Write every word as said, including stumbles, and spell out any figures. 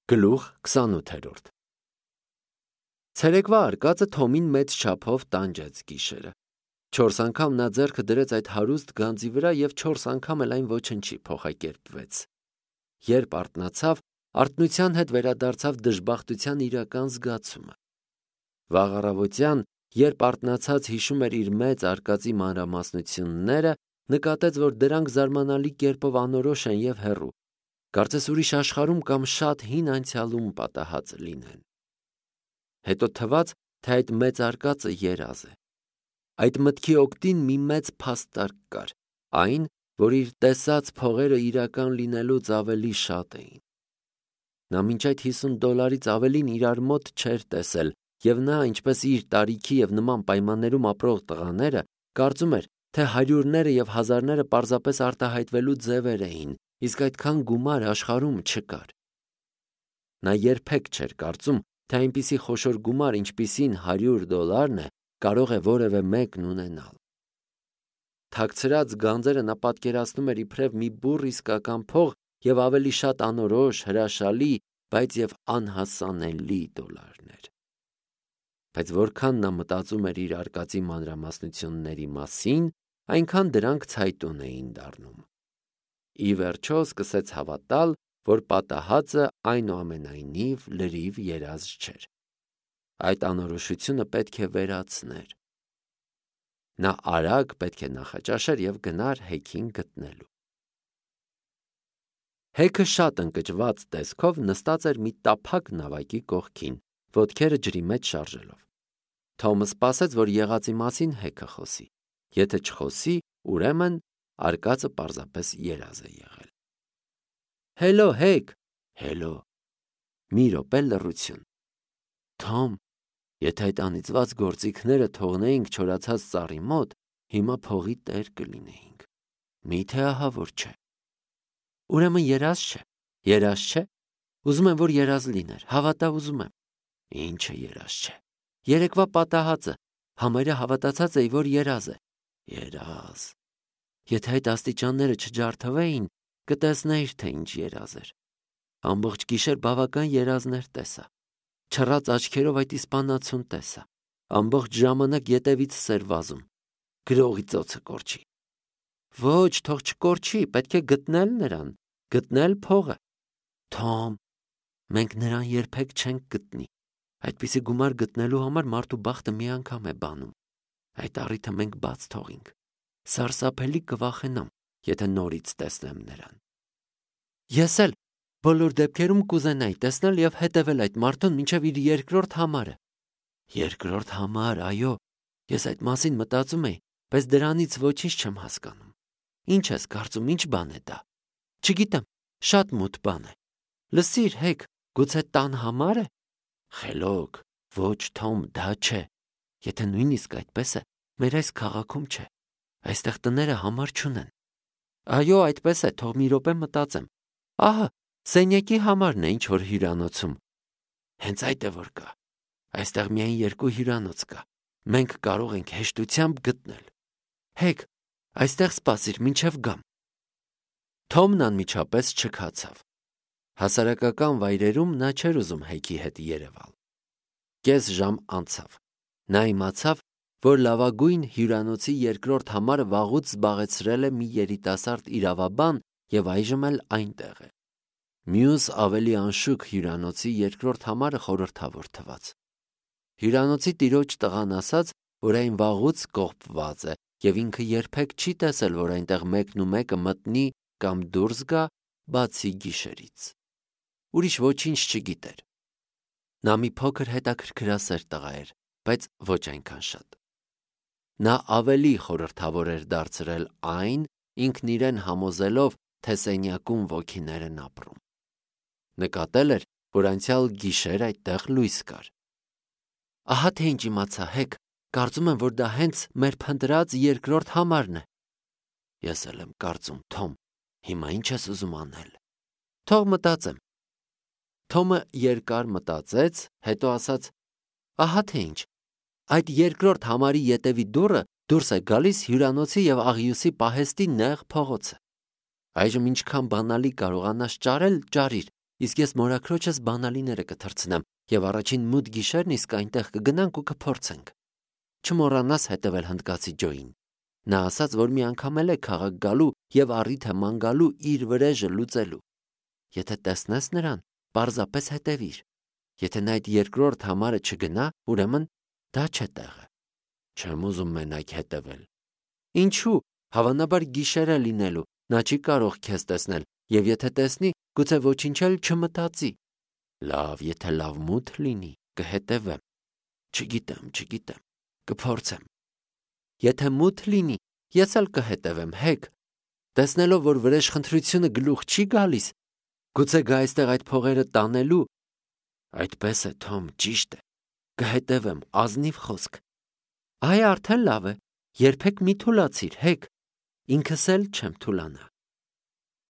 Գլուխ քսանութ Ցերեկվա արկածը Թոմին մեծ չափով տանջեց գիշերը։ Չորս անգամ նա ձեռքը դրեց այդ հարուստ գանձի վրա և չորս անգամ էլ այն ոչնչի փոխակերպվեց։ Երբ արթնացավ, արթնության հետ վերադարձավ դժբախտության իրական զգացումը։ Վաղ առավոտյան, երբ արթնացած հիշում էր իր մեծ արկածի մանրամասնությունները, նկատեց, որ դրանք զարմանալի կերպով անորոշ են և հեռու, կարծես ուրիշ աշխարհում կամ շատ հին անցյալում պատահած լինեն։ Հետո թվաց, թե այդ մեծ արկածը երազ է։ Այդ մտքի օգտին մի մեծ փաստարկ կար, այն, որ իր տեսած փողերը իրական լինելուց ավելի շատ էին։ Նա մինչ այդ հիսուն դոլարից ավելին իրար մոտ չէր տեսել, և նա, ինչպես իր տարիքի և նման պայմաններում ապրող տղաները, կարծում էր, թե հարյուրները և հազարները պարզապես արտահայտվելու ձևեր էին, իսկ այդքան գումար աշխարհում չկար։ Նա երբեք չէր կարծում, թե այնպիսի խոշոր գումար, ինչպիսին հարյուր դոլարն է, կարող է որևէ մեկն ունենալ։ Թաքցրած գանձերը նա պատկերացնում էր իբրև մի բուռ իսկական փող և ավելի շատ անորոշ, հրաշալի, բայց և անհասանելի դոլարներ։ Բայց որքան նա մտածում էր իր արկածի մանրամասնությունների մասին, այնքան դրանք ցայտուն էին դառնում։ Ի վերջո սկսեց հավատալ, որ պատահածը այնուամենայնիվ լրիվ երազ չէր։ Այդ անորոշությունը պետք է վերացներ։ Նա արագ պետք է նախաճաշեր և գնար հեքին գտնելու։ Հեքը շատ ընկճված տեսքով նստած էր մի տափակ նավակի կողքին, ոտքերը ջրի մեջ շարժելով։ Թոմը սպասեց, որ եղածի մասին հեքը խոսի։ Եթե չխոսի, ուրեմն արկածը պարզապես երազ է եղել։ Հելո, Հեք։ Հելո։ Մի րոպե լռություն։ Թոմ, եթե այդ անիծված գործիքները թողնեինք չորացած ծառի մոտ, հիմա փողի տեր կլինեինք։ Մի՞թե ահա որ չէ։ Ուրեմն երազ չէ։ Երազ չէ։ Ուզում եմ, որ երազ լիներ։ Հավատա, ուզում եմ։ Ինչը երազ չէ։ Երեկվա պատահածը, համարյա հավատացած էի, որ երազ է։ Երազ։ Եթե այդ աստիճանները չջարդվեին, կտեսնեիր, թե ինչ երազ էր։ Ամբողջ գիշեր բավական երազներ տեսա։ Չռած աչքերով այդ իսպանացուն տեսա։ Ամբողջ ժամանակ ետևիցս էր վազում։ Գրողի ծոցը կորչի։ Ոչ, թող չկորչի, պետք է գտնել նրան, գտնել փողը։ Թոմ, մենք նրան երբեք չենք գտնի։ Այդպիսի գումար գտնելու համար մարդու բախտը մի անգամ է բանում։ Այդ առիթը մենք բաց թողինք։ Սարսափելի կվախենամ, եթե նորից տեսնեմ նրան։ Ես էլ բոլոր դեպքերում կուզենայի տեսնել և հետևել այդ մարդուն մինչև իր երկրորդ համարը։ Երկրորդ համար, այո, ես այդ մասին մտածում էի, բայց դրանից ոչինչ չեմ հասկանում։ Ինչ ես կարծում, ինչ բան է դա։ Չգիտեմ, շատ մութ բան է։ Լսիր, Հեք, գուցե տան համար է։ Խելոք, ոչ, Թոմ, դա չէ։ Եթե նույնիսկ այդպես է, մեր այս քաղաքում չէ։ Այստեղ տները համար չունեն։ Այո, այդպես է, թող մի րոպե մտածեմ։ Ահա, սենյակի համարն է, ինչ որ հյուրանոցում։ Հենց այդ է որ կա։ Այստեղ միայն երկու հյուրանոց կա։ Մենք կարող ենք հեշտությամբ գտնել։ Հեք, այստեղ սպասիր, մինչև գամ։ Թոմն անմիջապես չքացավ։ Հասարակական վայրերում նա չէր ուզում Հեքի հետ երևալ։ Կես ժամ անցավ։ Նա իմացավ, որ լավագույն հյուրանոցի երկրորդ համարը վաղուց զբաղեցրել է մի երիտասարդ իրավաբան և այժմ էլ այնտեղ է։ Մյուս ավելի անշուք հյուրանոցի երկրորդ համարը խորհրդավոր թվաց։ Հյուրանոցի տիրոջ տղան ասաց, որ այն վաղուց կողպված է և ինքը երբեք չի տեսել, որ այնտեղ մեկն ու մեկը մտնի կամ դուրս գա, բացի գիշերից։ Ուրիշ ոչինչ չգիտեր։ Նա մի փոքր հետաքրքրասեր տղա էր, բայց ոչ այնքան շատ։ Նա ավելի խորհրդավոր էր դարձրել այն, ինքն իրեն համոզելով, թե սենյակում ոգիներ են ապրում։ Նկատել էր, որ անցյալ գիշեր այդտեղ լույս կար։ Ահա թե ինչ իմացա, Հեք, կարծում եմ, որ դա հենց մեր փնտրած երկրորդ համարն է։ Ես էլ եմ կարծում, Թոմ, հիմա ինչ ես ուզում անել։ Թող մտածեմ։ Թոմը երկար մտածեց, հետո ասաց. Ահա թե ինչ։ Այդ երկրորդ համարի ետևի դուռը դուրս է գալիս հյուրանոցի և աղյուսի պահեստի նեղ փողոցը։ Այժմ ինչքան բանալի կարողանաս ճարել, ճարիր, իսկ ես մորաքրոջս բանալիները կթռցնեմ եւ առաջին մութ գիշերն իսկ այնտեղ կգնանք ու կփորձենք։ Չմոռանաս հետևել հնդկացի Ջոին։ Նա ասաց, որ մի անգամ էլ է քաղաք գալու եւ առիթը ման գալու իր վրեժը լուծելու։ Եթե տեսնես նրան, պարզապես հետևիր։ Եթե նա այդ երկրորդ համարը չգնա, ուրեմն դա չէ տեղը։ Չեմ ուզում մենակ հետևել։ Ինչու՞, հավանաբար գիշեր է լինելու, նա չի կարող քեզ տեսնել, եւ եթե տեսնի, գուցե ոչինչ էլ չմտածի։ Լավ, եթե լավ մութ լինի, կհետևեմ։ Չգիտեմ, չգիտեմ, կփորձեմ։ Եթե մութ լինի, ես էլ կհետևեմ, հեկ։ Տեսնելով, որ վրեժխնդրությունը գլուխ չի գալիս, գուցե գա այստեղ այդ փողերը տանելու։ Այդպես է, Թոմ, ճիշտ է։ Կհետևեմ, ազնիվ խոսք։ Այ արդեն լավ է, երբեք մի թուլացիր, հեկ։ Ինքս էլ չեմ թուլանա։